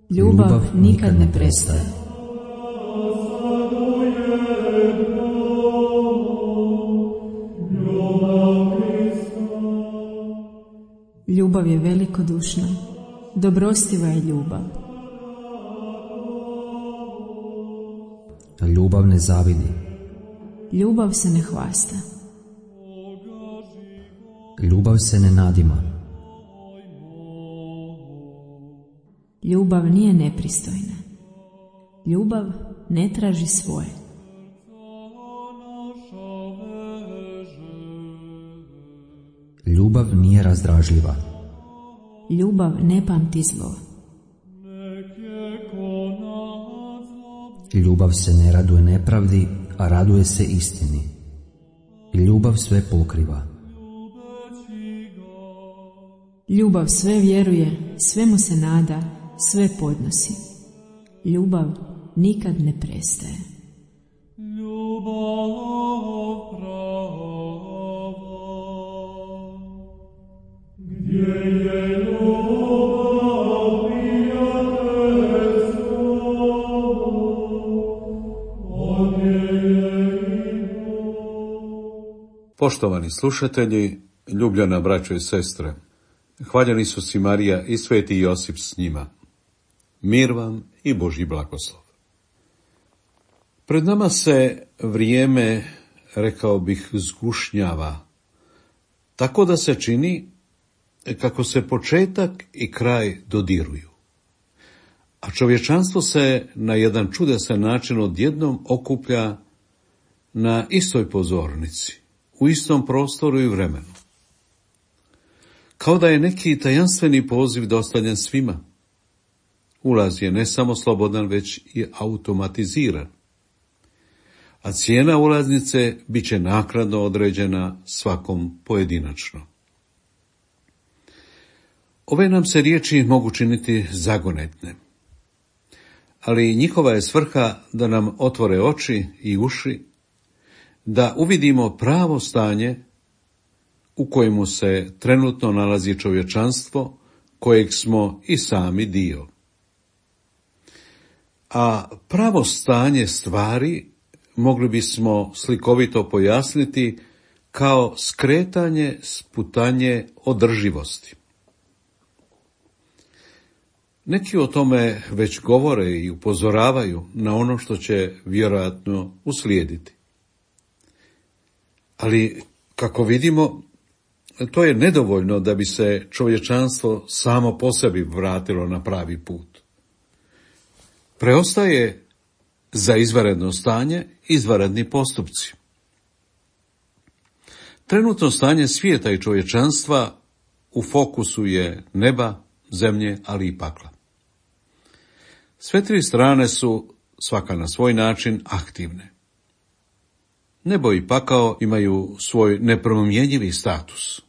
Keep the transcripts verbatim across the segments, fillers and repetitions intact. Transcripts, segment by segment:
Ljubav nikad ne prestaje. Ljubav je velikodušna, dobrostiva je ljubav. Ljubav ne zavidi. Ljubav se ne hvasta. Ljubav se ne nadima. Ljubav nije nepristojna. Ljubav ne traži svoje. Ljubav nije razdražljiva. Ljubav ne pamti zlo. Ljubav se ne raduje nepravdi, a raduje se istini. Ljubav sve pokriva. Ljubav sve vjeruje, sve mu se nada, sve podnosi. Ljubav nikad ne prestaje. Ljubav prava, gdje je ljubav prijateljstvo, ovdje je i Bog. Poštovani slušatelji, ljubljena braćo i sestre, hvaljeni su si Marija i sveti Josip s njima. Mir vam i Božji blagoslov. Pred nama se vrijeme, rekao bih, zgušnjava, tako da se čini kako se početak i kraj dodiruju. A čovječanstvo se na jedan čudesan način odjednom okuplja na istoj pozornici, u istom prostoru i vremenu. Kao da je neki tajanstveni poziv dostavljen svima. Ulaz je ne samo slobodan, već i automatiziran. A cijena ulaznice bit će naknadno određena svakom pojedinačno. Ove nam se riječi mogu činiti zagonetne, ali njihova je svrha da nam otvore oči i uši, da uvidimo pravo stanje u kojemu se trenutno nalazi čovječanstvo, kojeg smo i sami dio. A pravo stanje stvari mogli bismo slikovito pojasniti kao skretanje, sputanje održivosti. Neki o tome već govore i upozoravaju na ono što će vjerojatno uslijediti. Ali, kako vidimo, to je nedovoljno da bi se čovječanstvo samo po sebi vratilo na pravi put. Preostaje za izvanredno stanje izvanredni postupci. Trenutno stanje svijeta i čovječanstva u fokusu je neba, zemlje, ali i pakla. Sve tri strane su, svaka na svoj način, aktivne. Nebo i pakao imaju svoj nepromjenjivi status.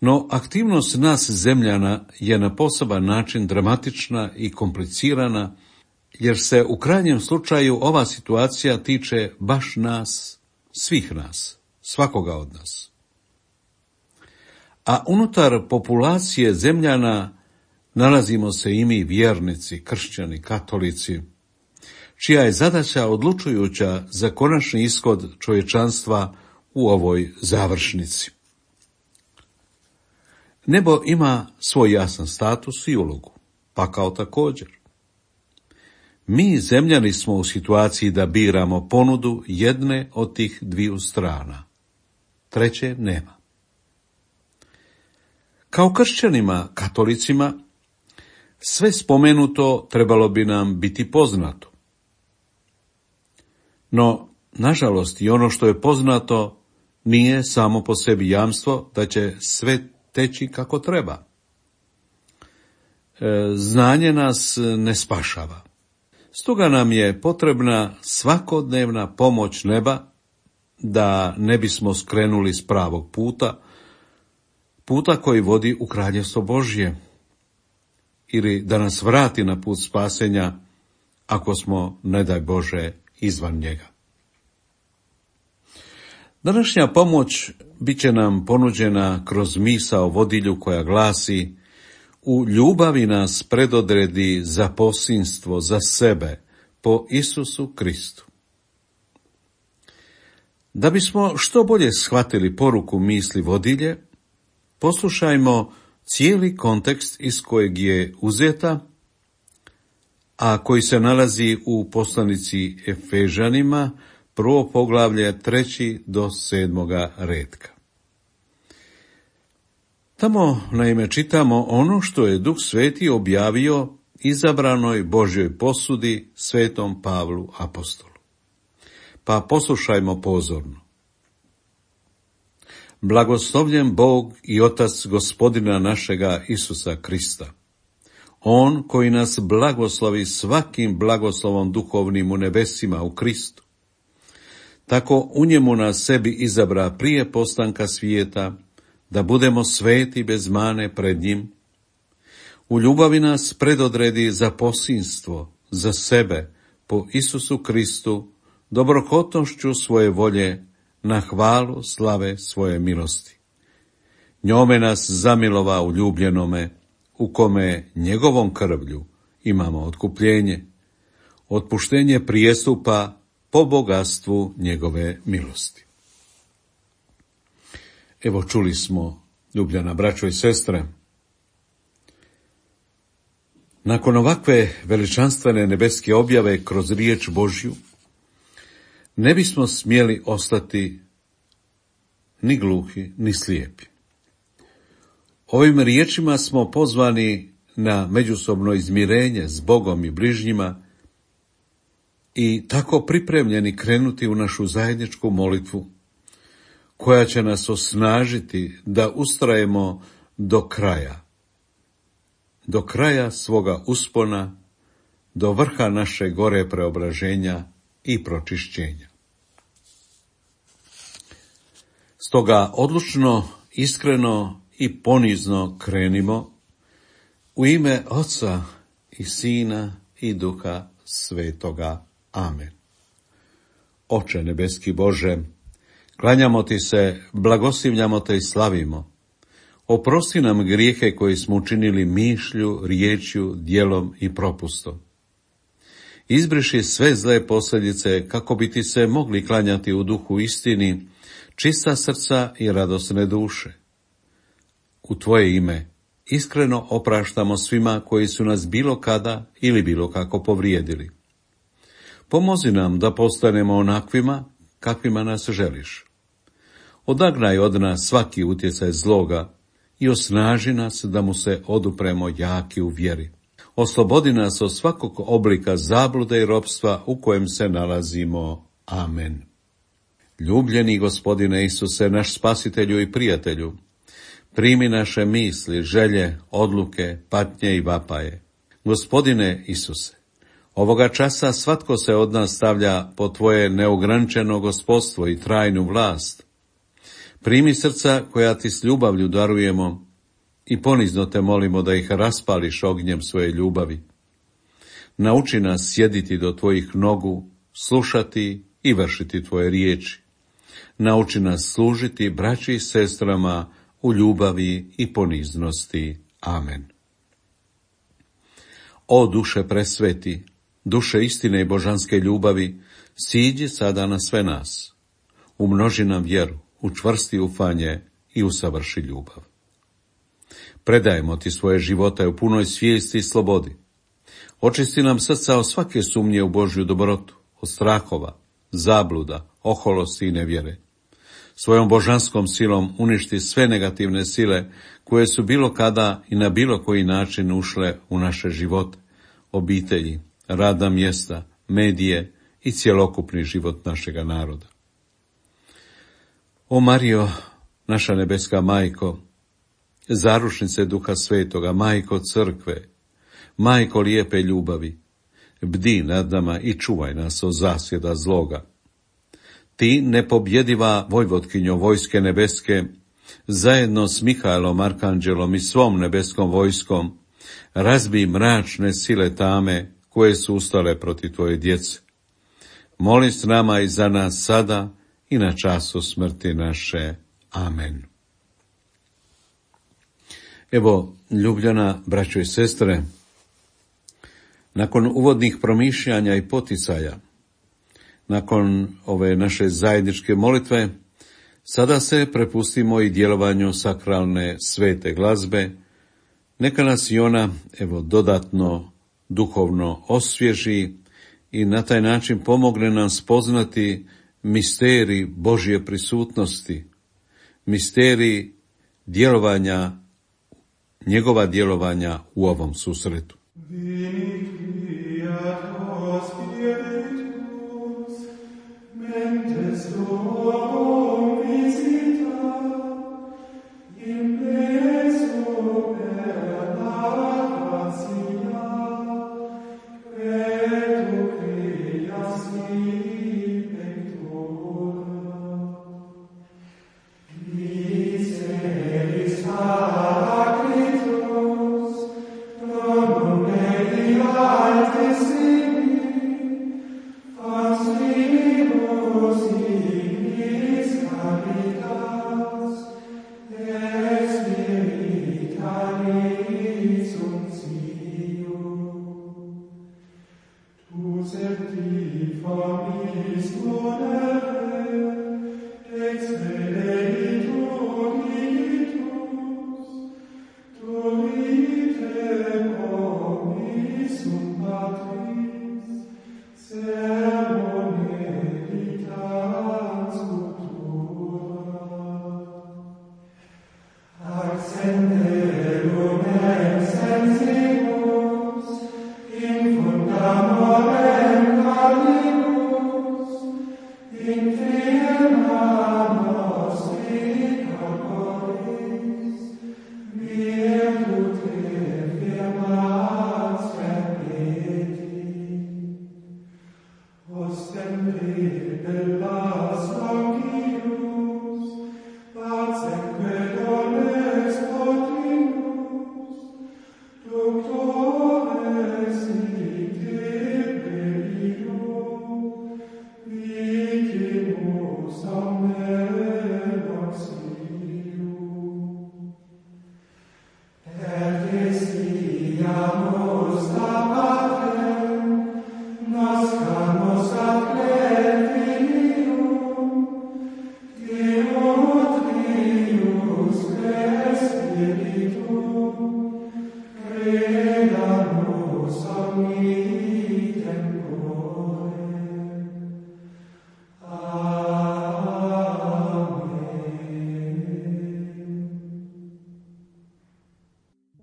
No aktivnost nas zemljana je na poseban način dramatična i komplicirana, jer se u krajnjem slučaju ova situacija tiče baš nas, svih nas, svakoga od nas. A unutar populacije zemljana nalazimo se i mi vjernici, kršćani, katolici, čija je zadaća odlučujuća za konačni ishod čovječanstva u ovoj završnici. Nebo ima svoj jasan status i ulogu, pakao također. Mi, zemljani, smo u situaciji da biramo ponudu jedne od tih dviju strana. Treće nema. Kao kršćanima, katolicima, sve spomenuto trebalo bi nam biti poznato. No, nažalost, i ono što je poznato nije samo po sebi jamstvo da će sve teći kako treba. E, znanje nas ne spašava. Stoga nam je potrebna svakodnevna pomoć neba da ne bismo skrenuli s pravog puta, puta koji vodi u Kraljevstvo Božje, ili da nas vrati na put spasenja ako smo, ne daj Bože, izvan njega. Današnja pomoć bit će nam ponuđena kroz misao vodilju koja glasi: u ljubavi nas predodredi za posinstvo, za sebe, po Isusu Kristu. Da bismo što bolje shvatili poruku misli vodilje, poslušajmo cijeli kontekst iz kojeg je uzeta, a koji se nalazi u poslanici Efežanima, prvo poglavlje, treći do sedmoga retka. Tamo naime čitamo ono što je Duh Sveti objavio izabranoj Božjoj posudi svetom Pavlu apostolu. Pa poslušajmo pozorno. Blagoslovljen Bog i Otac Gospodina našega Isusa Krista, On koji nas blagoslovi svakim blagoslovom duhovnim u nebesima u Kristu, tako u njemu nas sebi izabra prije postanka svijeta, da budemo sveti bez mane pred njim. U ljubavi nas predodredi za posinstvo, za sebe, po Isusu Kristu, dobrohotnošću svoje volje, na hvalu slave svoje milosti. Njome nas zamilova u ljubljenome, u kome njegovom krvlju imamo otkupljenje, otpuštenje prijestupa po bogatstvu njegove milosti. Evo, čuli smo, ljubljena braćo i sestre, nakon ovakve veličanstvene nebeske objave kroz riječ Božju, ne bismo smjeli ostati ni gluhi, ni slijepi. Ovim riječima smo pozvani na međusobno izmirenje s Bogom i bližnjima i tako pripremljeni krenuti u našu zajedničku molitvu, koja će nas osnažiti da ustrajemo do kraja, do kraja svoga uspona, do vrha naše gore preobraženja i pročišćenja. Stoga odlučno, iskreno i ponizno krenimo u ime Oca i Sina i Duha Svetoga. Amen. Oče nebeski Bože, klanjamo ti se, blagoslivljamo te i slavimo. Oprosti nam grijehe koje smo učinili mišlju, riječju, djelom i propustom. Izbriši sve zle posljedice kako bi ti se mogli klanjati u duhu istini, čista srca i radosne duše. U tvoje ime iskreno opraštamo svima koji su nas bilo kada ili bilo kako povrijedili. Pomozi nam da postanemo onakvima kakvima nas želiš. Odagnaj od nas svaki utjecaj zloga i osnaži nas da mu se odupremo jaki u vjeri. Oslobodi nas od svakog oblika zablude i ropstva u kojem se nalazimo. Amen. Ljubljeni Gospodine Isuse, naš spasitelju i prijatelju, primi naše misli, želje, odluke, patnje i vapaje. Gospodine Isuse, ovoga časa svatko se od nas stavlja po tvoje neograničeno gospodstvo i trajnu vlast. Primi srca koja ti s ljubavlju darujemo i ponizno te molimo da ih raspališ ognjem svoje ljubavi. Nauči nas sjediti do tvojih nogu, slušati i vršiti tvoje riječi. Nauči nas služiti braći i sestrama u ljubavi i poniznosti. Amen. O duše presveti, duše istine i božanske ljubavi, siđi sada na sve nas. Umnoži nam vjeru, učvrsti ufanje i usavrši ljubav. Predajemo ti svoje živote u punoj svijesti i slobodi. Očisti nam srca od svake sumnje u Božju dobrotu, od strahova, zabluda, oholosti i nevjere. Svojom božanskom silom uništi sve negativne sile koje su bilo kada i na bilo koji način ušle u naše živote, obitelji, radna mjesta, medije i cjelokupni život našega naroda. O Marijo, naša nebeska majko, zaručnice Duha Svetoga, majko crkve, majko lijepe ljubavi, bdi nad nama i čuvaj nas od zasjeda zloga. Ti, nepobjediva vojvotkinjo vojske nebeske, zajedno s Mihajlom, arkanđelom i svom nebeskom vojskom, razbij mračne sile tame koje su ustale protiv tvoje djece. Moli s nama i za nas sada i na času smrti naše. Amen. Evo, ljubljena braćo i sestre, nakon uvodnih promišljanja i poticaja, nakon ove naše zajedničke molitve, sada se prepustimo i djelovanju sakralne svete glazbe. Neka nas i ona, evo, dodatno duhovno osvježi i na taj način pomogne nam spoznati misterij Božje prisutnosti, misterij djelovanja, njegova djelovanja u ovom susretu.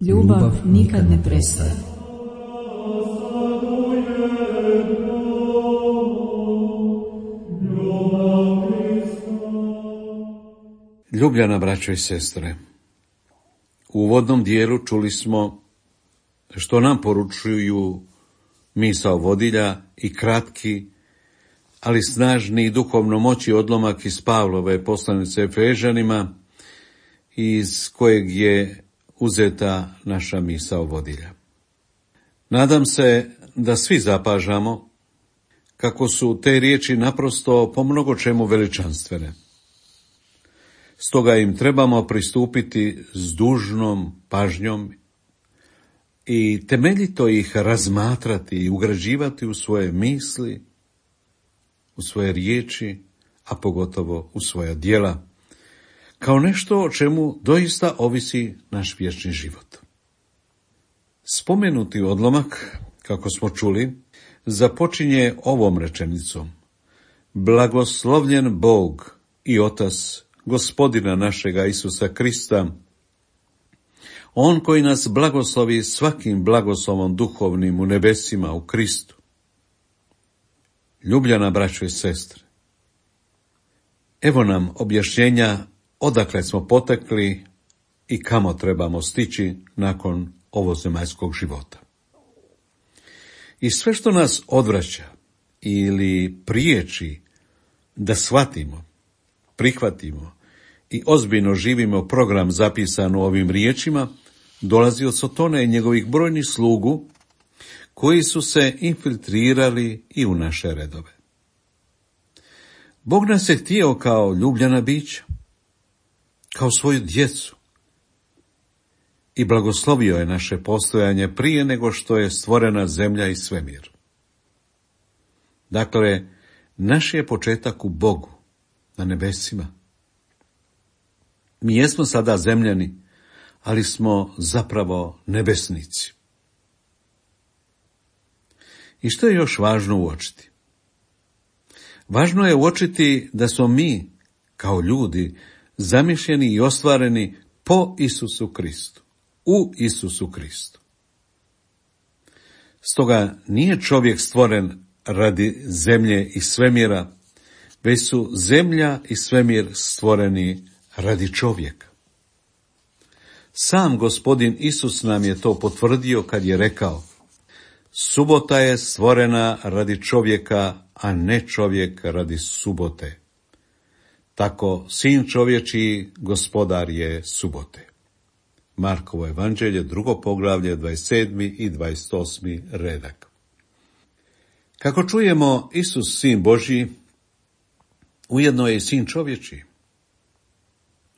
Ljubav nikad ne prestaje. Ljubljana braćo i sestre, u uvodnom dijelu čuli smo što nam poručuju misao vodilja i kratki, ali snažni i duhovno moći odlomak iz Pavlove poslanice Efežanima, iz kojeg je uzeta naša misao vodilja. Nadam se da svi zapažamo kako su te riječi naprosto po mnogo čemu veličanstvene. Stoga im trebamo pristupiti s dužnom pažnjom i temeljito ih razmatrati i ugrađivati u svoje misli, u svoje riječi, a pogotovo u svoja djela, kao nešto o čemu doista ovisi naš vječni život. Spomenuti odlomak, kako smo čuli, započinje ovom rečenicom: Blagoslovljen Bog i Otac Gospodina našega Isusa Krista, On koji nas blagoslovi svakim blagoslovom duhovnim u nebesima u Kristu. Ljubljana braćo i sestre, evo nam objašnjenja odakle smo potekli i kamo trebamo stići nakon ovozemaljskog života. I sve što nas odvraća ili priječi da shvatimo, prihvatimo i ozbiljno živimo program zapisan u ovim riječima, dolazi od Sotona i njegovih brojnih slugu, koji su se infiltrirali i u naše redove. Bog nas je htio kao ljubljena bića, kao svoju djecu, i blagoslovio je naše postojanje prije nego što je stvorena zemlja i svemir. Dakle, naš je početak u Bogu, na nebesima. Mi jesmo sada zemljani, ali smo zapravo nebesnici. I što je još važno uočiti? Važno je uočiti da smo mi, kao ljudi, zamišljeni i ostvareni po Isusu Kristu, u Isusu Kristu. Stoga nije čovjek stvoren radi zemlje i svemira, već su zemlja i svemir stvoreni radi čovjeka. Sam Gospodin Isus nam je to potvrdio kad je rekao: subota je stvorena radi čovjeka, a ne čovjek radi subote. Tako sin čovječiji gospodar je subote. Markovo evanđelje, drugo poglavlje, dvadeset sedmi i dvadeset osmi redak. Kako čujemo, Isus, sin Božji, ujedno je i sin čovječiji.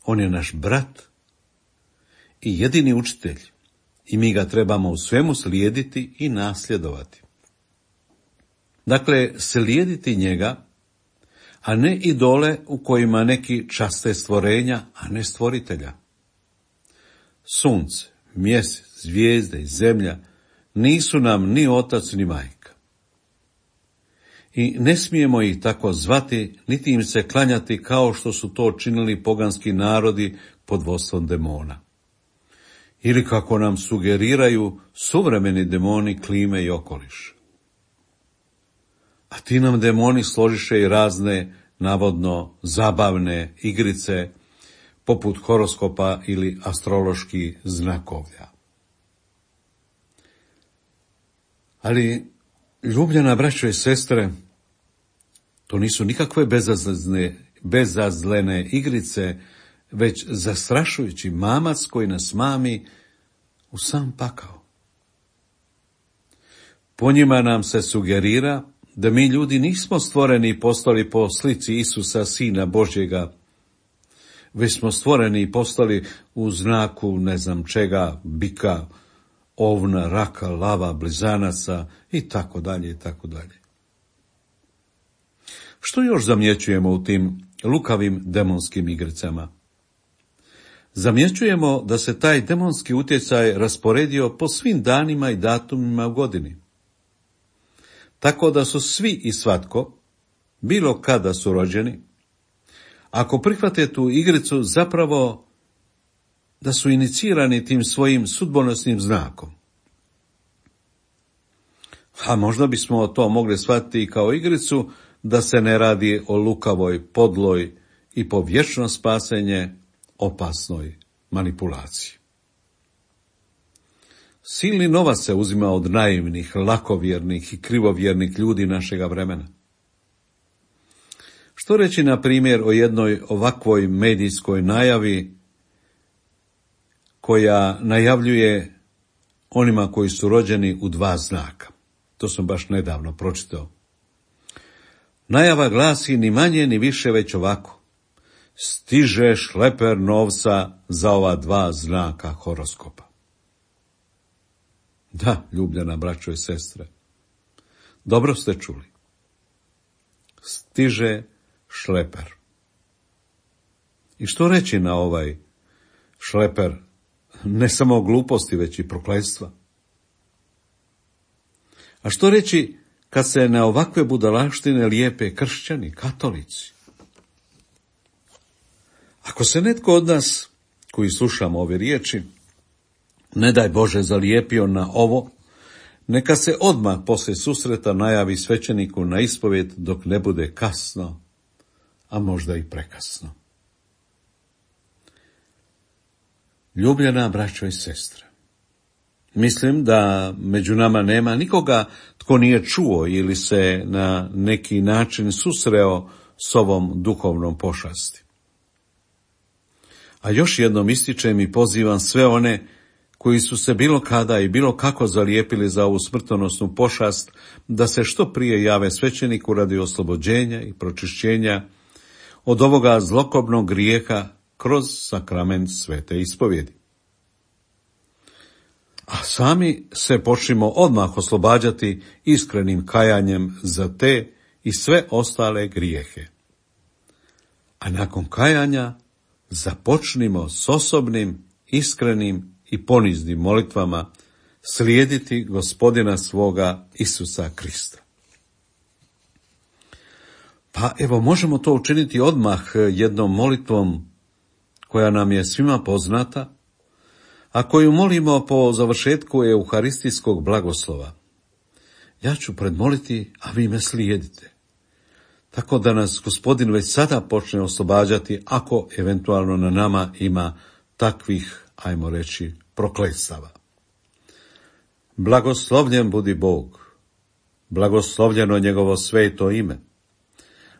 On je naš brat i jedini učitelj, i mi ga trebamo u svemu slijediti i nasljedovati. Dakle, slijediti njega, a ne idole u kojima neki časte stvorenja, a ne stvoritelja. Sunce, mjesec, zvijezde i zemlja nisu nam ni otac ni majka. I ne smijemo ih tako zvati, niti im se klanjati kao što su to činili poganski narodi pod vodstvom demona. Ili kako nam sugeriraju suvremeni demoni klime i okoliš. A ti nam demoni složiše i razne, navodno, zabavne igrice, poput horoskopa ili astroloških znakovlja. Ali, ljubljena braćo i sestre, to nisu nikakve bezazlene, bezazlene igrice, već zastrašujući mamac koji nas mami u sam pakao. Po njima nam se sugerira da mi ljudi nismo stvoreni i postali po slici Isusa, Sina Božjega, već smo stvoreni i postali u znaku ne znam čega, bika, ovna, raka, lava, blizanaca i tako dalje i tako dalje. Što još zamjećujemo u tim lukavim demonskim igricama? Zamjećujemo da se taj demonski utjecaj rasporedio po svim danima i datumima u godini. Tako da su svi i svatko, bilo kada su rođeni, ako prihvate tu igricu, zapravo da su inicirani tim svojim sudbonosnim znakom. A možda bismo to mogli shvatiti kao igricu, da se ne radi o lukavoj, podloj i po vječno spasenje opasnoj manipulaciji. Silni novac se uzima od naivnih, lakovjernih i krivovjernih ljudi našega vremena. Što reći, na primjer, o jednoj ovakvoj medijskoj najavi koja najavljuje onima koji su rođeni u dva znaka. To sam baš nedavno pročitao. Najava glasi ni manje ni više već ovako: stiže šleper novca za ova dva znaka horoskopa. Da, ljubljena braćo i sestre, dobro ste čuli. Stiže šleper. I što reći na ovaj šleper? Ne samo gluposti, već i prokletstva. A što reći kad se na ovakve budalaštine lijepe kršćani, katolici? Ako se netko od nas, koji slušamo ove riječi, ne daj Bože zalijepio na ovo, neka se odmah poslije susreta najavi svećeniku na ispovjed dok ne bude kasno, a možda i prekasno. Ljubljena braćo i sestre, mislim da među nama nema nikoga tko nije čuo ili se na neki način susreo s ovom duhovnom pošasti. A još jednom ističem i pozivam sve one koji su se bilo kada i bilo kako zalijepili za ovu smrtonosnu pošast, da se što prije jave svećeniku radi oslobođenja i pročišćenja od ovoga zlokobnog grijeha kroz sakrament svete ispovjedi. A sami se počnimo odmah oslobađati iskrenim kajanjem za te i sve ostale grijehe. A nakon kajanja započnimo s osobnim, iskrenim i poniznim molitvama slijediti Gospodina svoga Isusa Krista. Pa evo, možemo to učiniti odmah jednom molitvom koja nam je svima poznata, a koju molimo po završetku euharistijskog blagoslova. Ja ću predmoliti, a vi me slijedite. Tako da nas Gospodin već sada počne oslobađati, ako eventualno na nama ima takvih, ajmo reći, prokletstava. Blagoslovljen budi Bog, blagoslovljeno njegovo sveto ime,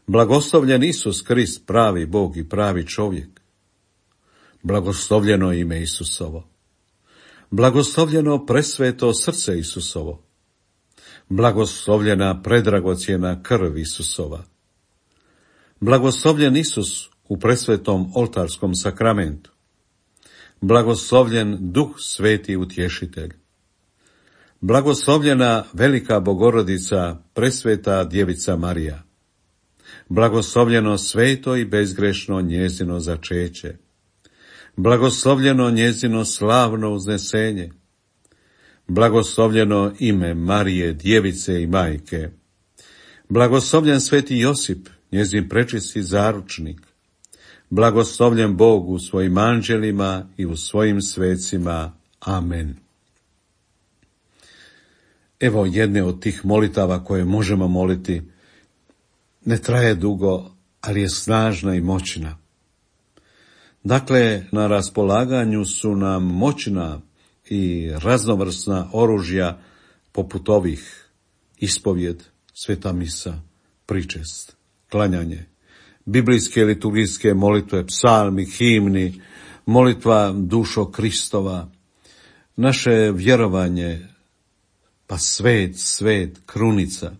blagoslovljen Isus Krist, pravi Bog i pravi čovjek, blagoslovljeno ime Isusovo, blagoslovljeno presveto srce Isusovo, blagoslovljena predragocjena krv Isusova, blagoslovljen Isus u presvetom oltarskom sakramentu, blagoslovljen Duh Sveti Utješitelj, blagoslovljena velika Bogorodica, presveta Djevica Marija, blagoslovljeno sveto i bezgrešno njezino začeće, blagoslovljeno njezino slavno uznesenje, blagoslovljeno ime Marije, Djevice i Majke, blagoslovljen sveti Josip, njezin prečisti zaručnik, blagoslovljen Bog u svojim anđelima i u svojim svecima. Amen. Evo jedne od tih molitava koje možemo moliti. Ne traje dugo, ali je snažna i moćna. Dakle, na raspolaganju su nam moćna i raznovrsna oružja poput ovih: ispovjed, sveta misa, pričest, klanjanje, biblijske liturgijske molitve, psalmi, himni, molitva dušo Kristova, naše vjerovanje, pa svet, svet, krunica.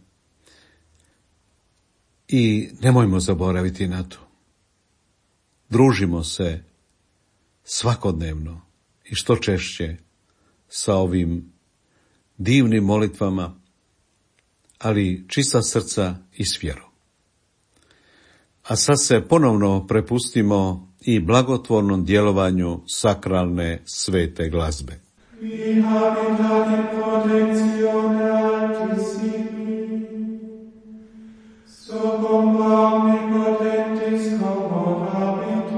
I nemojmo zaboraviti na to. Družimo se svakodnevno i što češće sa ovim divnim molitvama, ali čista srca i s vjerom. A sad se ponovno prepustimo i blagotvornom djelovanju sakralne svete glazbe. Vi habitat protectione altissimi, socom omnipotentis commorabitur,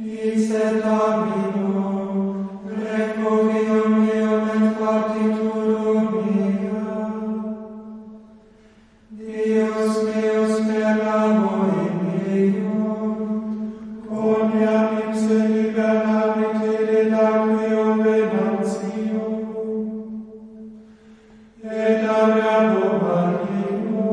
ix et amino, requiem meum et partiturum mea. Deus meus per amore meum, quoniam ipse liberamite de laqueo venatio, et averbo maligno,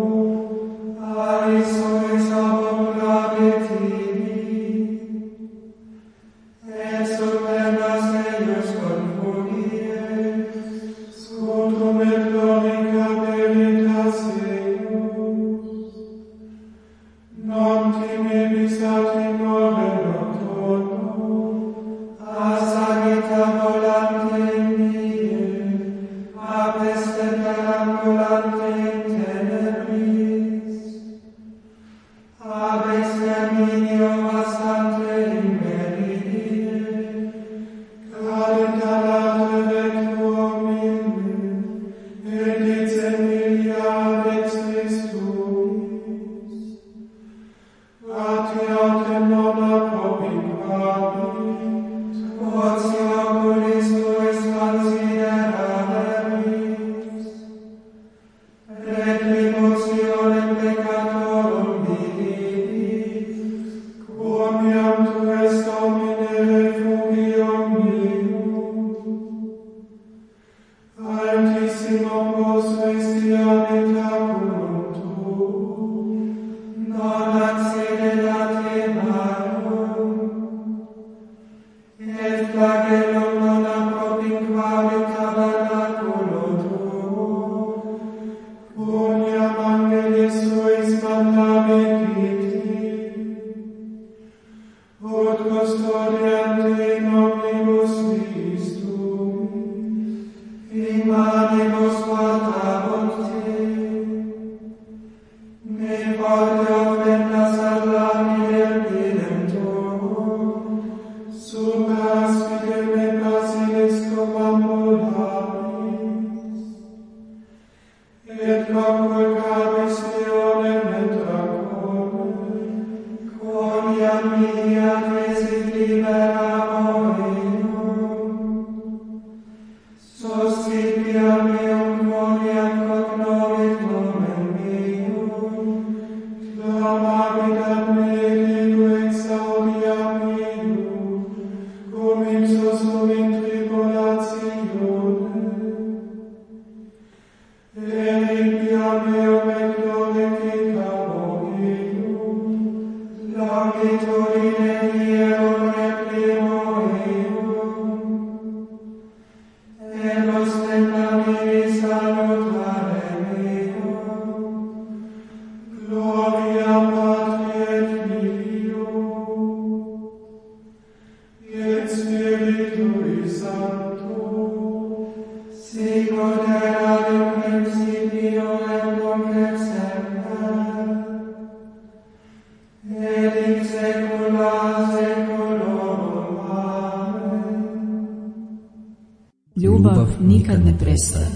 Ljubav nikad ne prestaje.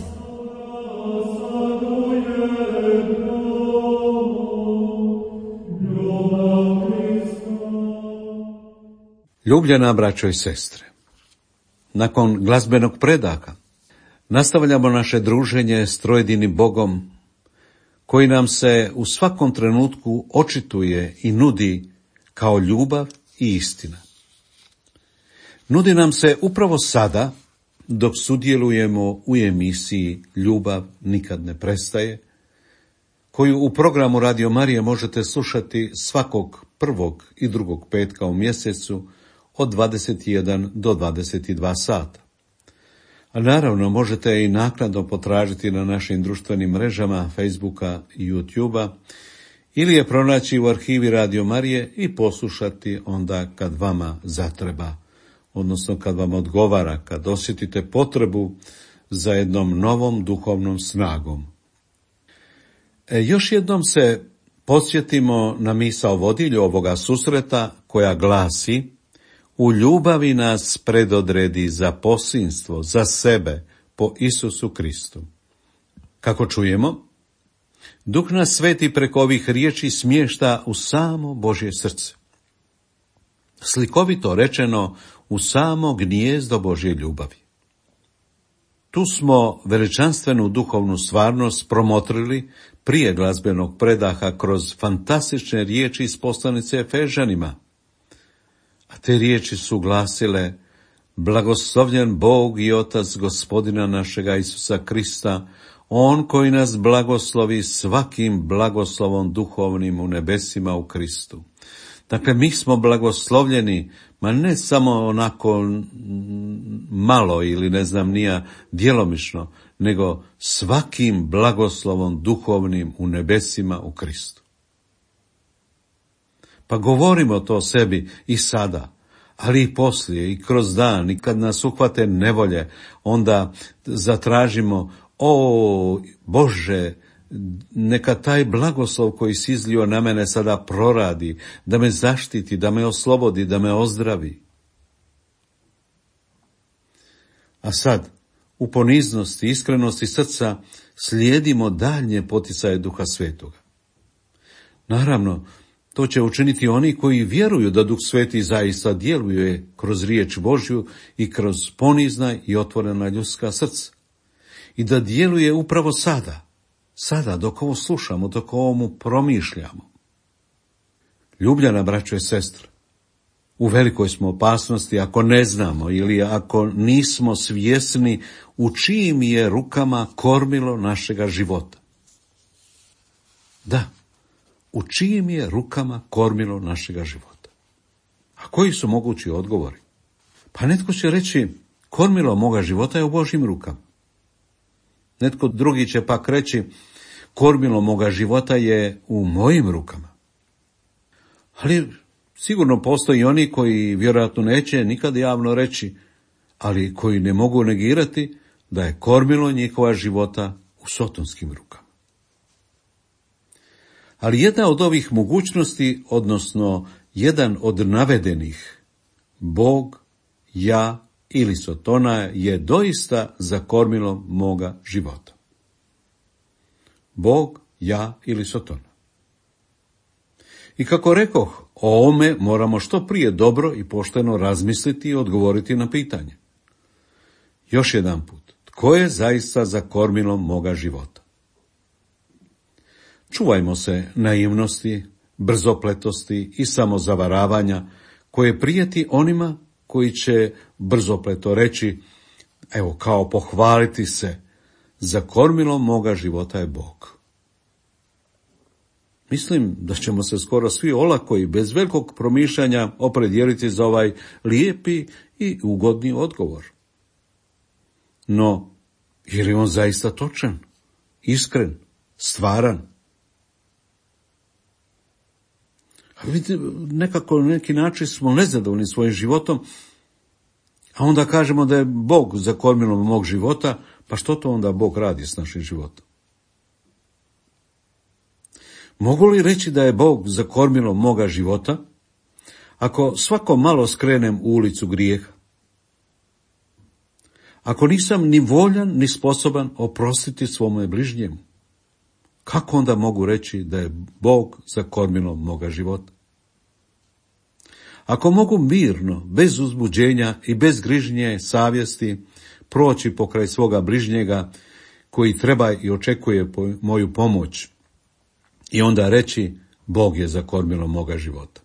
Ljubljena braćo i sestre, nakon glazbenog predaka nastavljamo naše druženje s trojedinim Bogom, koji nam se u svakom trenutku očituje i nudi kao ljubav i istina. Nudi nam se upravo sada, dok sudjelujemo u emisiji Ljubav nikad ne prestaje, koju u programu Radio Marije možete slušati svakog prvog i drugog petka u mjesecu od dvadeset jedan do dvadeset dva sata. A naravno možete i naknadno potražiti na našim društvenim mrežama Facebooka i YouTubea ili je pronaći u arhivi Radio Marije i poslušati onda kad vama zatreba, odnosno kad vam odgovara, kad osjetite potrebu za jednom novom duhovnom snagom. E, još jednom se podsjetimo na misao vodilju ovoga susreta koja glasi: u ljubavi nas predodredi za posinstvo, za sebe, po Isusu Kristu. Kako čujemo, Duh nas sveti preko ovih riječi smješta u samo Božje srce. Slikovito rečeno, u samo gnijezdo Božje ljubavi. Tu smo veličanstvenu duhovnu stvarnost promotrili prije glazbenog predaha kroz fantastične riječi iz poslanice Efežanima. A te riječi su glasile: blagoslovljen Bog i Otac Gospodina našega Isusa Krista, On koji nas blagoslovi svakim blagoslovom duhovnim u nebesima u Kristu. Dakle, mi smo blagoslovljeni, ma ne samo onako malo ili ne znam nija djelomično, nego svakim blagoslovom duhovnim u nebesima u Kristu. Pa govorimo to sebi i sada, ali i poslije, i kroz dan, i kad nas uhvate nevolje, onda zatražimo: o Bože, neka taj blagoslov koji si izlio na mene sada proradi, da me zaštiti, da me oslobodi, da me ozdravi. A sad, u poniznosti, iskrenosti srca slijedimo daljnje poticaje Duha Svetoga. Naravno, to će učiniti oni koji vjeruju da Duh Sveti zaista djeluje kroz riječ Božju i kroz ponizna i otvorena ljudska srca. I da djeluje upravo sada, sada dok ovo slušamo, dok ovomu promišljamo. Ljubljena braćo i sestre, u velikoj smo opasnosti ako ne znamo ili ako nismo svjesni u čijim je rukama kormilo našega života. Da, u čijim je rukama kormilo našega života. A koji su mogući odgovori? Pa netko će reći: kormilo moga života je u Božjim rukama. Netko drugi će pak reći: kormilo moga života je u mojim rukama. Ali sigurno postoji oni koji vjerojatno neće nikad javno reći, ali koji ne mogu negirati da je kormilo njihova života u sotonskim rukama. Ali jedna od ovih mogućnosti, odnosno jedan od navedenih, Bog, ja ili Sotona, je doista za kormilo moga života. Bog, ja ili Sotona. I kako rekoh, o ovome moramo što prije dobro i pošteno razmisliti i odgovoriti na pitanje. Još jedan put, tko je zaista za kormilom moga života? Čuvajmo se naivnosti, brzopletosti i samozavaravanja koje prijeti onima koji će brzopleto reći: evo, kao pohvaliti se, za kormilom moga života je Bog. Mislim da ćemo se skoro svi olako i bez velikog promišljanja opredijeliti za ovaj lijepi i ugodni odgovor. No, je li on zaista točan, iskren, stvaran? A vidite, nekako na neki način smo nezadovoljni svojim životom, a onda kažemo da je Bog za kormilom mog života, pa što to onda Bog radi s našim životom? Mogu li reći da je Bog za kormilom moga života, ako svako malo skrenem u ulicu grijeha? ako nisam ni voljan, ni sposoban oprostiti svome bližnjemu, kako onda mogu reći da je Bog za kormilom moga života? Ako mogu mirno, bez uzbuđenja i bez grižnje savjesti proći pokraj svoga bližnjega koji treba i očekuje moju pomoć i onda reći Bog je za kormilom moga života.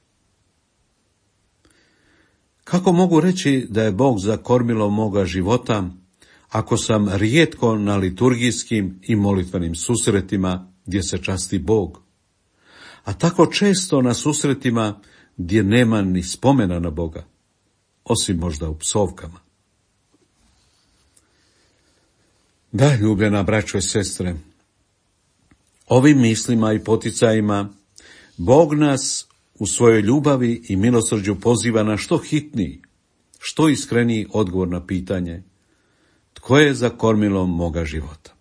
Kako mogu reći da je Bog za kormilom moga života ako sam rijetko na liturgijskim i molitvenim susretima gdje se časti Bog, a tako često na susretima gdje nema ni spomena na Boga, osim možda u psovkama? Da, ljubljena braćo i sestre, ovim mislima i poticajima Bog nas u svojoj ljubavi i milosrđu poziva na što hitniji, što iskreniji odgovor na pitanje tko je za kormilom moga života.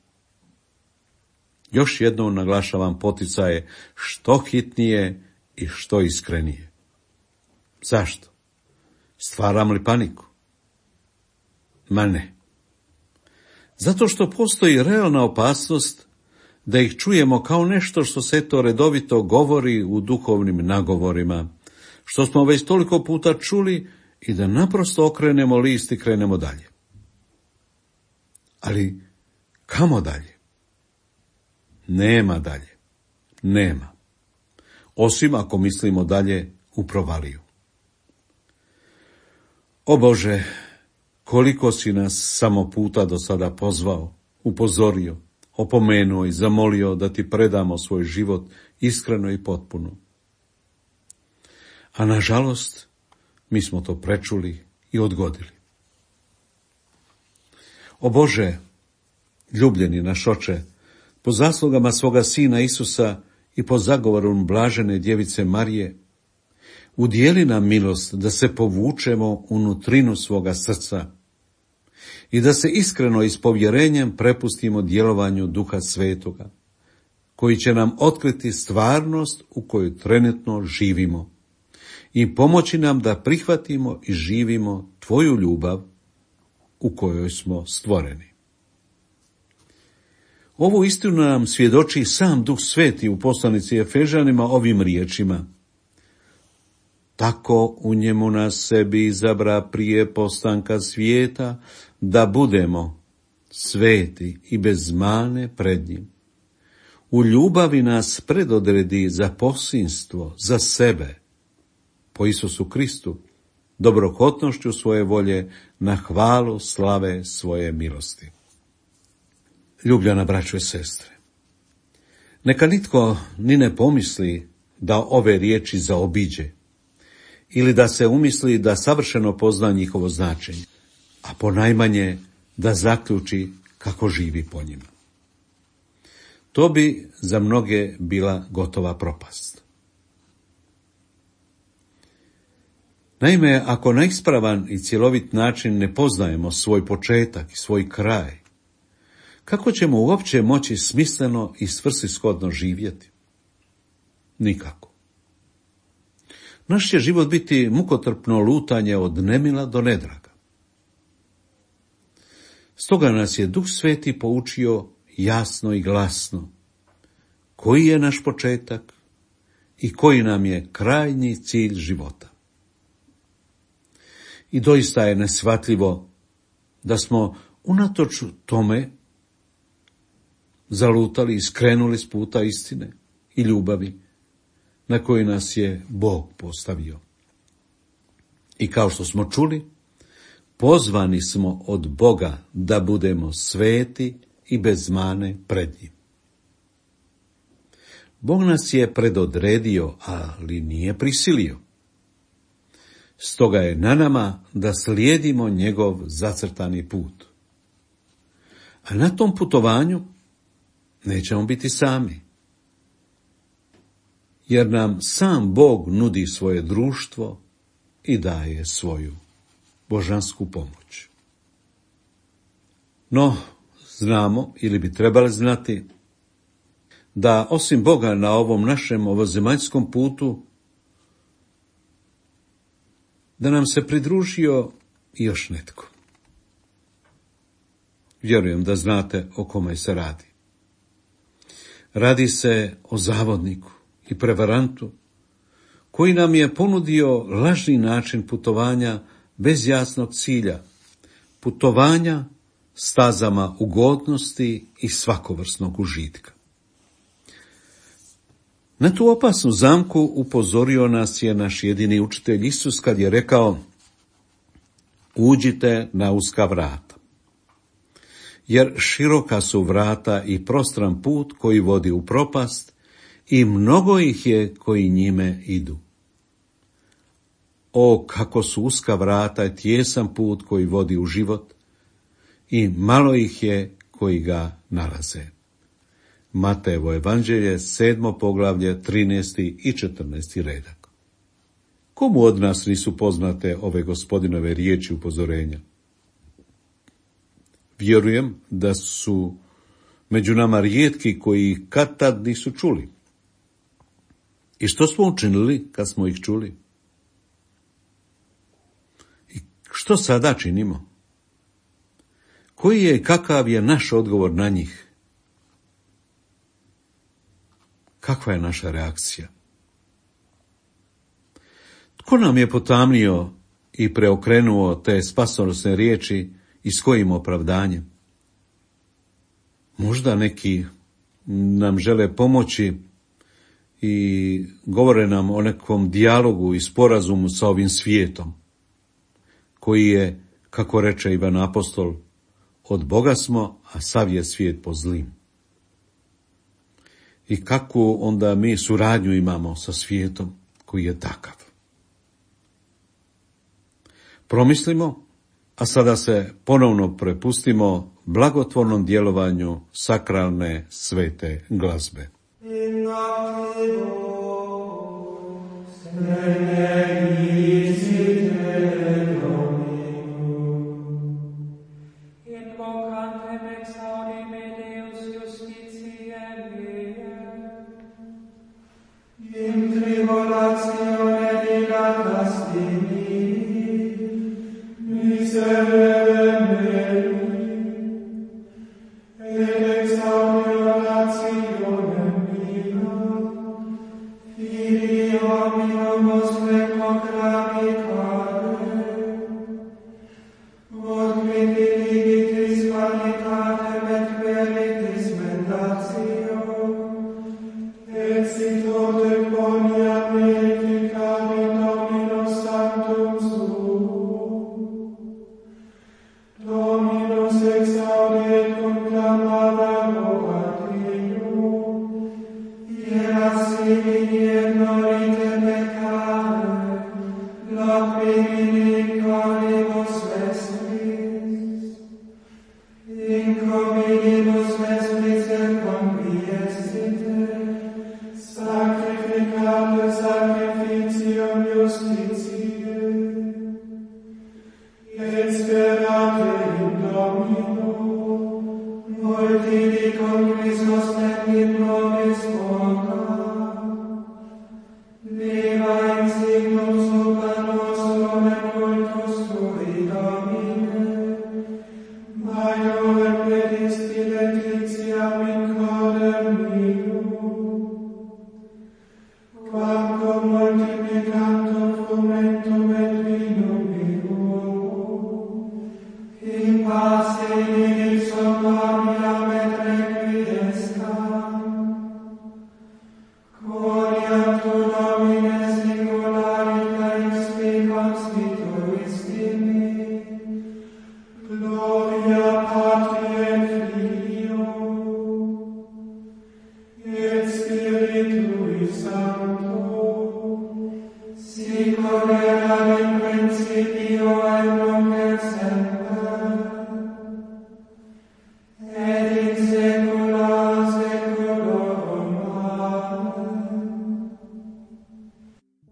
Još jednom naglašavam poticaje što hitnije i što iskrenije. Zašto? Stvaram li paniku? Ma ne. Zato što postoji realna opasnost da ih čujemo kao nešto što se to redovito govori u duhovnim nagovorima, što smo već toliko puta čuli i da naprosto okrenemo list i krenemo dalje. Ali kamo dalje? Nema dalje. Nema. Osim ako mislimo dalje u provaliju. O Bože, koliko si nas samo puta do sada pozvao, upozorio, opomenuo i zamolio da ti predamo svoj život iskreno i potpuno. A nažalost, mi smo to prečuli i odgodili. O Bože, ljubljeni naš Oče, po zaslugama svoga Sina Isusa i po zagovoru blažene djevice Marije, udijeli nam milost da se povučemo u nutrinu svoga srca i da se iskreno i s povjerenjem prepustimo djelovanju Duha Svetoga, koji će nam otkriti stvarnost u kojoj trenutno živimo i pomoći nam da prihvatimo i živimo Tvoju ljubav u kojoj smo stvoreni. Ovu istinu nam svjedoči sam Duh Sveti u poslanici Efežanima ovim riječima: tako u njemu nas sebi izabra prije postanka svijeta, da budemo sveti i bez mane pred njim. U ljubavi nas predodredi za posinstvo, za sebe, po Isusu Kristu, dobrohotnošću svoje volje, na hvalu slave svoje milosti. Ljubljena braćo i sestre, neka nitko ni ne pomisli da ove riječi zaobiđe, ili da se umisli da savršeno pozna njihovo značenje, a ponajmanje da zaključi kako živi po njima. To bi za mnoge bila gotova propast. Naime, ako na ispravan i cjelovit način ne poznajemo svoj početak i svoj kraj, kako ćemo uopće moći smisleno i svrsishodno živjeti? Nikako. Naš će život biti mukotrpno lutanje od nemila do nedraga. Stoga nas je Duh Sveti poučio jasno i glasno koji je naš početak i koji nam je krajnji cilj života. I doista je neshvatljivo da smo unatoč tome zalutali i skrenuli s puta istine i ljubavi na koji nas je Bog postavio. I kao što smo čuli, pozvani smo od Boga da budemo sveti i bez mane pred njim. Bog nas je predodredio, ali nije prisilio. Stoga je na nama da slijedimo njegov zacrtani put. A na tom putovanju nećemo biti sami, jer nam sam Bog nudi svoje društvo i daje svoju božansku pomoć. No, znamo, ili bi trebali znati, da osim Boga na ovom našem ovozemaljskom putu, da nam se pridružio i još netko. Vjerujem da znate o kome se radi. Radi se o zavodniku i prevarantu koji nam je ponudio lažni način putovanja bez jasnog cilja, putovanja stazama ugodnosti i svakovrsnog užitka. Na tu opasnu zamku upozorio nas je naš jedini učitelj Isus kad je rekao: uđite na uska vrata, jer široka su vrata i prostran put koji vodi u propast i mnogo ih je koji njime idu. O, kako su uska vrata i tijesan put koji vodi u život i malo ih je koji ga nalaze. Matejevo evanđelje, sedmo poglavlje, trinaesti i četrnaesti redak. Komu od nas nisu poznate ove Gospodinove riječi upozorenja? Vjerujem da su među nama rijetki koji kad tad nisu čuli. I što smo učinili kad smo ih čuli? I što sada činimo? Koji je i kakav je naš odgovor na njih? Kakva je naša reakcija? Tko nam je potamnio i preokrenuo te spasonosne riječi i s kojim opravdanjem? Možda neki nam žele pomoći i govore nam o nekom dijalogu i sporazumu sa ovim svijetom, koji je, kako reče Ivan Apostol, od Boga smo, a sav je svijet po zlim. I kakvu onda mi suradnju imamo sa svijetom koji je takav? Promislimo, a sada se ponovno prepustimo blagotvornom djelovanju sakralne svete glazbe.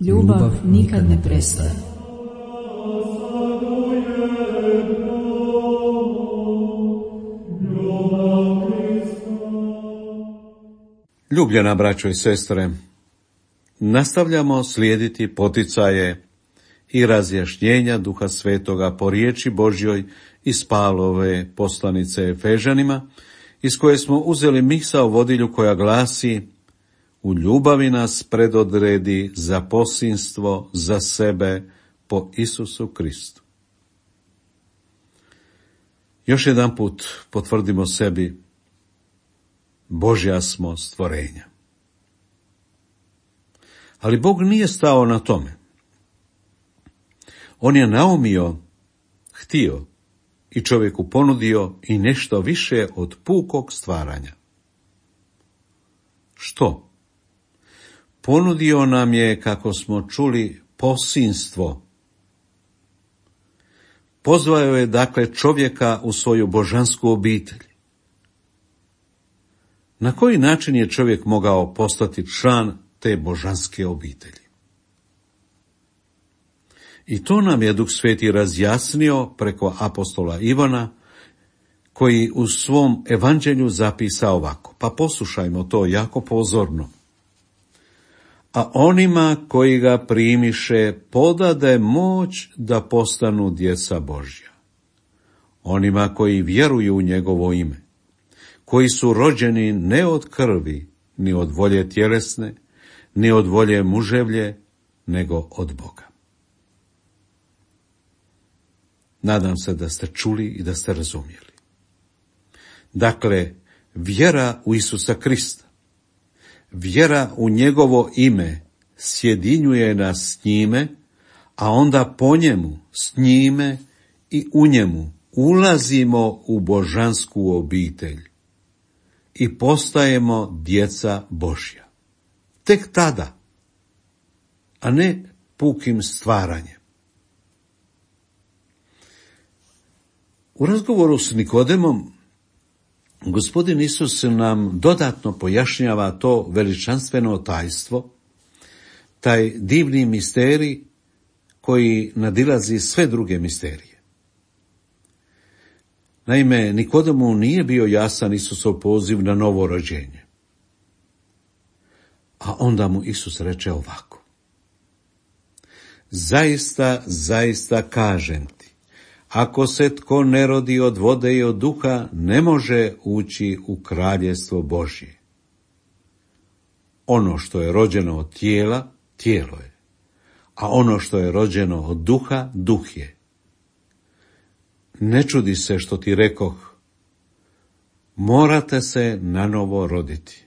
Ljubav nikad ne prestaje. Ljubljena braćo i sestre, nastavljamo slijediti poticaje i razjašnjenja Duha Svetoga po riječi Božjoj iz Pavlove poslanice Efežanima, iz koje smo uzeli misao vodilju koja glasi: u ljubavi nas predodredi za posinstvo za sebe po Isusu Kristu. Još jedan put potvrdimo sebi: Božja smo stvorenja. Ali Bog nije stao na tome. On je naumio, htio i čovjeku ponudio i nešto više od pukog stvaranja. Što? Ponudio nam je, kako smo čuli, posinstvo. Pozvao je dakle čovjeka u svoju božansku obitelj. Na koji način je čovjek mogao postati član te božanske obitelji? I to nam je Duh Sveti razjasnio preko apostola Ivana, koji u svom evanđelju zapisa ovako. Pa poslušajmo to jako pozorno. A onima koji ga primiše podade moć da postanu djeca Božja. Onima koji vjeruju u njegovo ime, koji su rođeni ne od krvi, ni od volje tjelesne, ni od volje muževlje, nego od Boga. Nadam se da ste čuli i da ste razumjeli. Dakle, vjera u Isusa Krista, vjera u njegovo ime sjedinjuje nas s njime, a onda po njemu, s njime i u njemu ulazimo u božansku obitelj i postajemo djeca Božja. Tek tada, a ne pukim stvaranjem. U razgovoru s Nikodemom, Gospodin Isus nam dodatno pojašnjava to veličanstveno tajstvo, taj divni misterij koji nadilazi sve druge misterije. Naime, Nikodemu nije bio jasan Isusov poziv na novo rođenje. A onda mu Isus reče ovako: zaista, zaista kažem ti, ako se tko ne rodi od vode i od duha, ne može ući u kraljevstvo Božje. Ono što je rođeno od tijela, tijelo je, a ono što je rođeno od duha, duh je. Ne čudi se što ti rekoh, morate se nanovo roditi.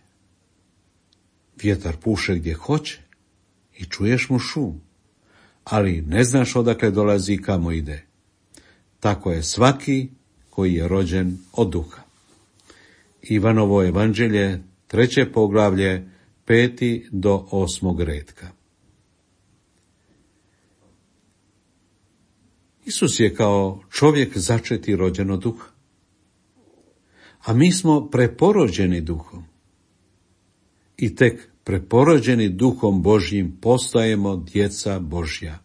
Vjetar puše gdje hoće i čuješ mu šum, ali ne znaš odakle dolazi i kamo ide. Tako je svaki koji je rođen od duha. Ivanovo evanđelje, treće poglavlje, peti do osmog retka. Isus je kao čovjek začeti rođen od duha, a mi smo preporođeni duhom. I tek preporođeni duhom Božjim postajemo djeca Božja.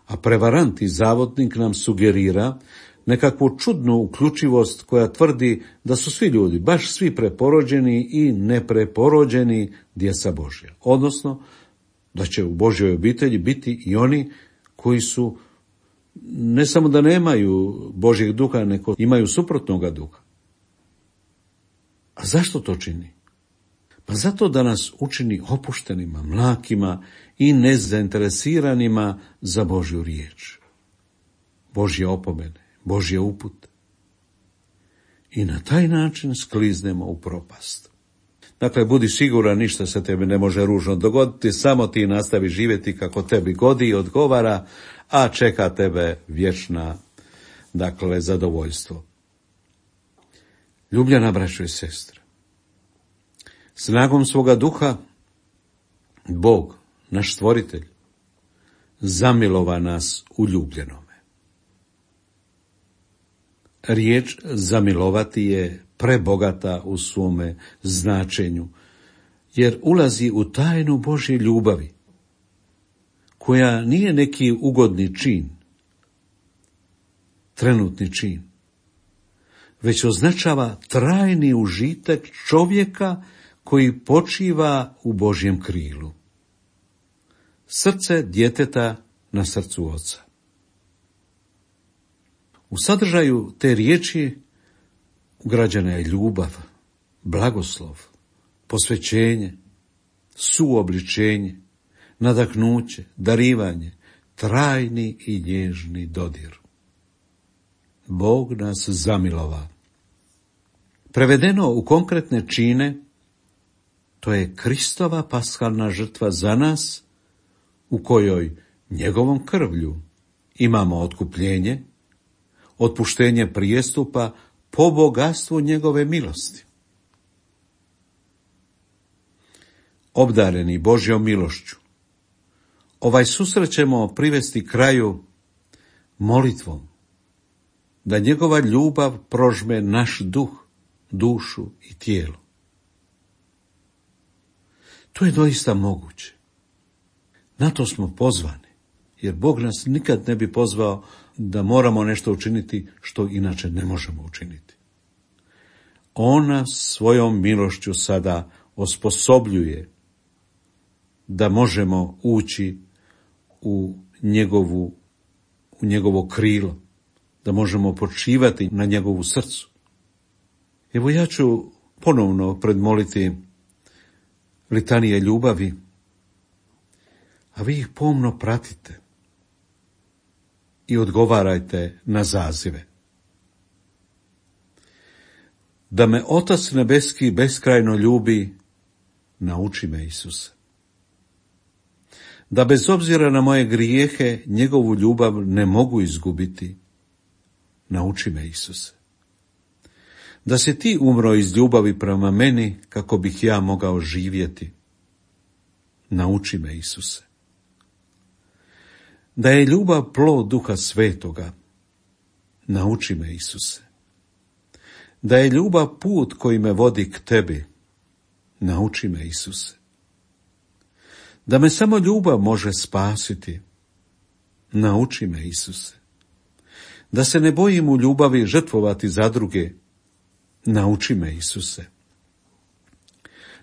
A prevarant i zavodnik nam sugerira nekakvu čudnu uključivost koja tvrdi da su svi ljudi, baš svi preporođeni i nepreporođeni djeca Božja. Odnosno, da će u Božjoj obitelji biti i oni koji su ne samo da nemaju Božjeg duha, nego imaju suprotnoga duha. A zašto to čini? Pa zato da nas učini opuštenima, mlakima i nezainteresiranima za Božju riječ, Božje opomene, Božje upute. I na taj način skliznemo u propast. Dakle, budi siguran, ništa se tebi ne može ružno dogoditi, samo ti nastavi živjeti kako tebi godi i odgovara, a čeka tebe vječna, dakle, zadovoljstvo. Ljubljena braćo i sestre, snagom svoga duha, Bog, naš stvoritelj, zamilova nas u ljubljenome. Riječ zamilovati je prebogata u svome značenju, jer ulazi u tajnu Božje ljubavi, koja nije neki ugodni čin, trenutni čin, već označava trajni užitak čovjeka koji počiva u Božjem krilu. Srce djeteta na srcu Oca. U sadržaju te riječi ugrađena je ljubav, blagoslov, posvećenje, suobličenje, nadahnuće, darivanje, trajni i nježni dodir. Bog nas zamilova. Prevedeno u konkretne čine, to je Kristova paskalna žrtva za nas, u kojoj njegovom krvlju imamo otkupljenje, otpuštenje prijestupa po bogatstvu njegove milosti. Obdareni Božjom milošću, ovaj susret ćemo privesti kraju molitvom, da njegova ljubav prožme naš duh, dušu i tijelo. To je doista moguće. Na to smo pozvani, jer Bog nas nikad ne bi pozvao da moramo nešto učiniti što inače ne možemo učiniti. On nas svojom milošću sada osposobljuje da možemo ući u njegovu, u njegovo krilo, da možemo počivati na njegovu srcu. Evo ja ću ponovno predmoliti litanije ljubavi, a vi ih pomno pratite i odgovarajte na zazive. Da me Otac nebeski beskrajno ljubi, nauči me, Isuse. Da bez obzira na moje grijehe njegovu ljubav ne mogu izgubiti, nauči me, Isuse. Da si ti umro iz ljubavi prema meni kako bih ja mogao živjeti, nauči me, Isuse. Da je ljubav plod Duha Svetoga, nauči me, Isuse. Da je ljubav put koji me vodi k tebi, nauči me, Isuse. Da me samo ljubav može spasiti, nauči me, Isuse. Da se ne bojim u ljubavi žrtvovati za druge, nauči me, Isuse.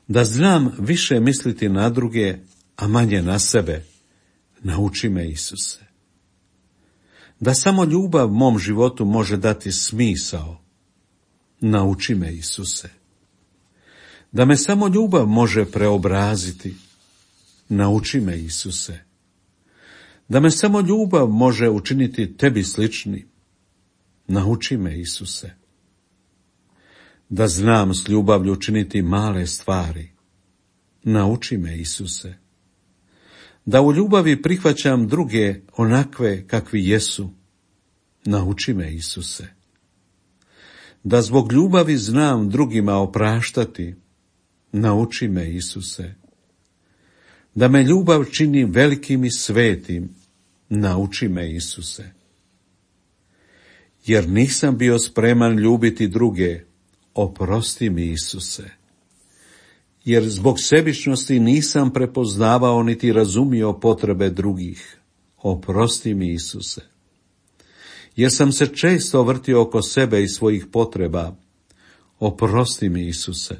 Da znam više misliti na druge, a manje na sebe, nauči me, Isuse. Da samo ljubav mom životu može dati smisao, nauči me, Isuse. Da me samo ljubav može preobraziti, nauči me, Isuse. Da me samo ljubav može učiniti tebi slični, nauči me, Isuse. Da znam s ljubavlju činiti male stvari, nauči me, Isuse. Da u ljubavi prihvaćam druge onakve kakvi jesu, nauči me, Isuse. Da zbog ljubavi znam drugima opraštati, nauči me, Isuse. Da me ljubav čini velikim i svetim, nauči me, Isuse. Jer nisam bio spreman ljubiti druge, oprosti mi, Isuse. Jer zbog sebičnosti nisam prepoznavao niti razumio potrebe drugih, oprosti mi, Isuse. Jer sam se često vrtio oko sebe i svojih potreba, oprosti mi, Isuse.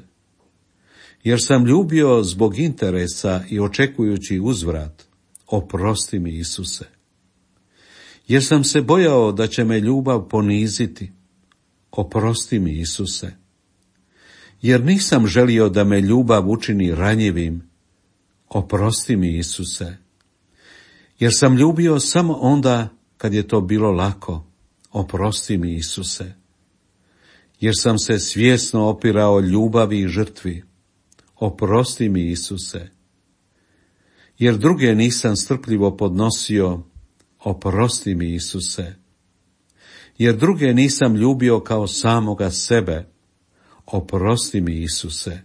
Jer sam ljubio zbog interesa i očekujući uzvrat, oprosti mi, Isuse. Jer sam se bojao da će me ljubav poniziti, oprosti mi, Isuse. Jer nisam želio da me ljubav učini ranjivim, oprosti mi, Isuse. Jer sam ljubio samo onda kad je to bilo lako, oprosti mi, Isuse. Jer sam se svjesno opirao ljubavi i žrtvi, oprosti mi, Isuse. Jer druge nisam strpljivo podnosio, oprosti mi, Isuse. Jer druge nisam ljubio kao samoga sebe, oprosti mi, Isuse.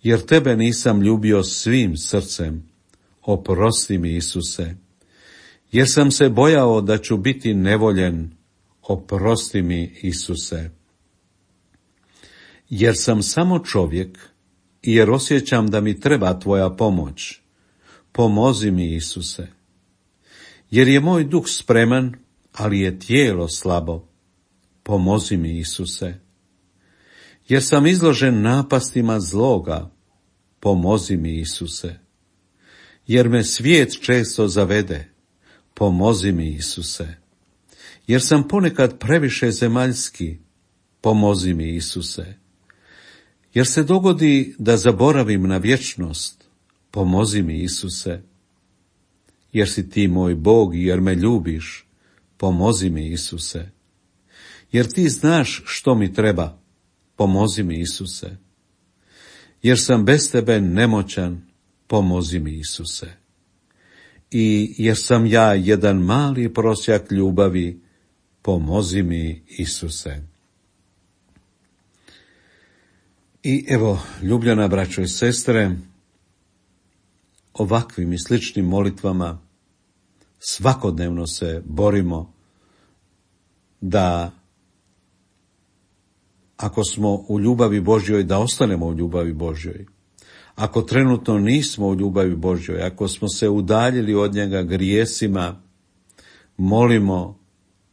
Jer tebe nisam ljubio svim srcem, oprosti mi, Isuse. Jer sam se bojao da ću biti nevoljen, oprosti mi, Isuse. Jer sam samo čovjek i jer osjećam da mi treba tvoja pomoć, pomozi mi, Isuse. Jer je moj duh spreman, ali je tijelo slabo, pomozi mi, Isuse. Jer sam izložen napastima zloga, pomozi mi, Isuse. Jer me svijet često zavede, pomozi mi Isuse. Jer sam ponekad previše zemaljski, pomozi mi Isuse. Jer se dogodi da zaboravim na vječnost, pomozi mi Isuse. Jer si ti moj Bog i jer me ljubiš, pomozi mi Isuse. Jer ti znaš što mi treba, pomozi mi Isuse. Jer sam bez tebe nemoćan, pomozi mi Isuse. I jer sam ja jedan mali prosjak ljubavi, pomozi mi Isuse. I evo, ljubljena braćo i sestre, ovakvim i sličnim molitvama svakodnevno se borimo da ako smo u ljubavi Božjoj, da ostanemo u ljubavi Božjoj. Ako trenutno nismo u ljubavi Božjoj, ako smo se udaljili od njega grijesima, molimo,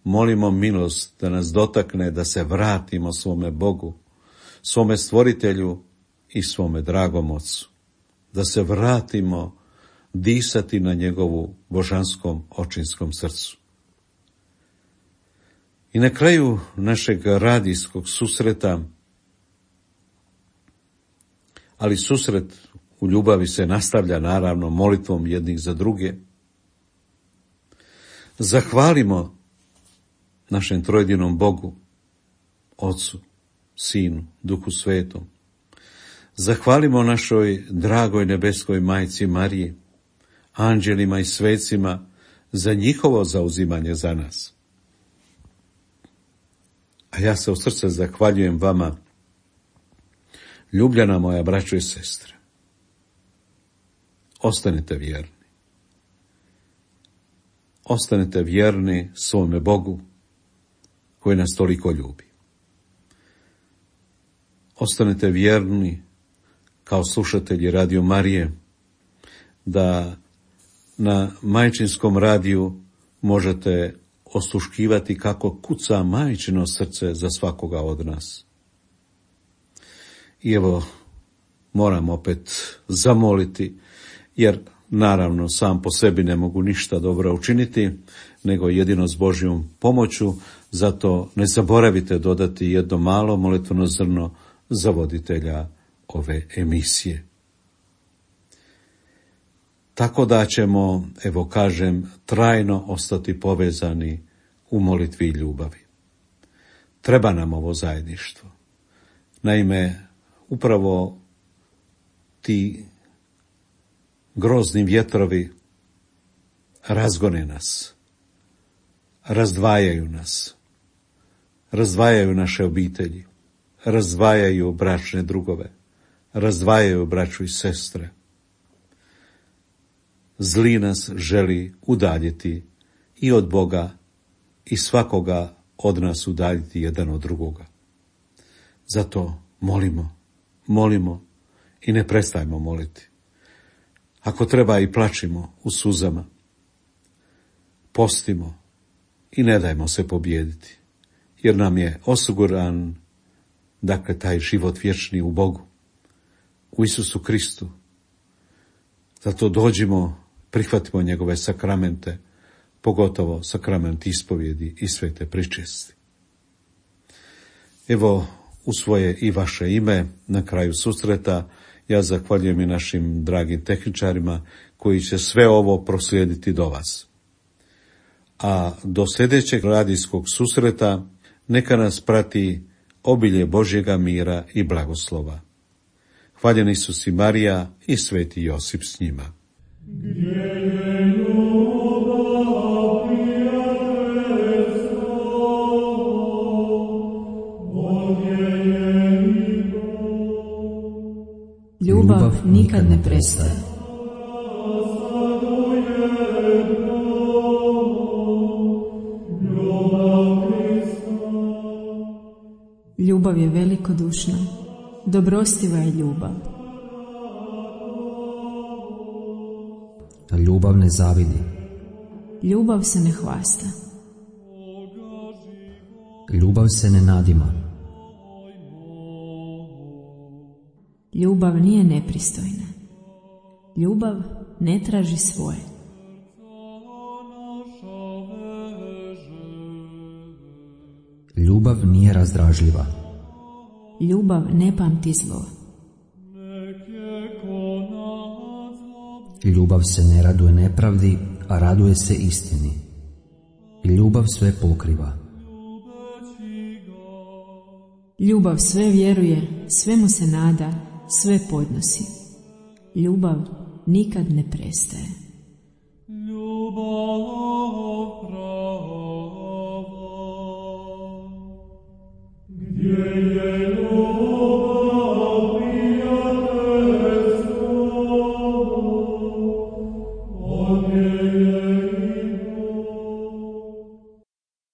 molimo milost da nas dotakne, da se vratimo svome Bogu, svome stvoritelju i svome dragom Ocu. Da se vratimo disati na njegovu božanskom očinskom srcu. I na kraju našeg radijskog susreta, ali susret u ljubavi se nastavlja naravno molitvom jednih za druge, zahvalimo našem trojedinom Bogu, Ocu, Sinu, Duhu Svetom. Zahvalimo našoj dragoj nebeskoj majci Mariji, anđelima i svecima za njihovo zauzimanje za nas. A ja se u srce zahvaljujem vama, ljubljena moja braćo i sestre. Ostanite vjerni. Ostanite vjerni svome Bogu koji nas toliko ljubi. Ostanite vjerni kao slušatelji Radio Marije, da na majčinskom radiju možete osluškivati kako kuca majčino srce za svakoga od nas. I evo, moram opet zamoliti, jer naravno sam po sebi ne mogu ništa dobro učiniti, nego jedino s Božjom pomoću, zato ne zaboravite dodati jedno malo molitveno zrno za voditelja ove emisije. Tako da ćemo, evo kažem, trajno ostati povezani u molitvi i ljubavi. Treba nam ovo zajedništvo. Naime, upravo ti grozni vjetrovi razgone nas, razdvajaju nas, razdvajaju naše obitelji, razdvajaju bračne drugove, razdvajaju braću i sestre. Zli nas želi udaljiti i od Boga i svakoga od nas udaljiti jedan od drugoga. Zato molimo, molimo i ne prestajmo moliti. Ako treba i plačimo u suzama, postimo i ne dajmo se pobijediti, jer nam je osiguran, dakle, taj život vječni u Bogu, u Isusu Kristu. Zato dođimo, prihvatimo njegove sakramente, pogotovo sakrament ispovjedi i svete pričesti. Evo, u svoje i vaše ime, na kraju susreta, ja zahvaljujem i našim dragim tehničarima koji će sve ovo proslijediti do vas. A do sljedećeg radijskog susreta neka nas prati obilje Božjega mira i blagoslova. Hvaljen Isus i Marija i sveti Josip s njima. Ljubav nikad ne prestaje. Ljubav je velikodušna, dobrostiva je ljubav. Ljubav ne zavidi. Ljubav se ne hvasta. Ljubav se ne nadima. Ljubav nije nepristojna. Ljubav ne traži svoje. nerazdražljiva. Ljubav ne pamti zlo. Ljubav se ne raduje nepravdi, a raduje se istini. Ljubav sve pokriva. Ljubav sve vjeruje, svemu se nada, sve podnosi. Ljubav nikad ne prestaje. Ljubav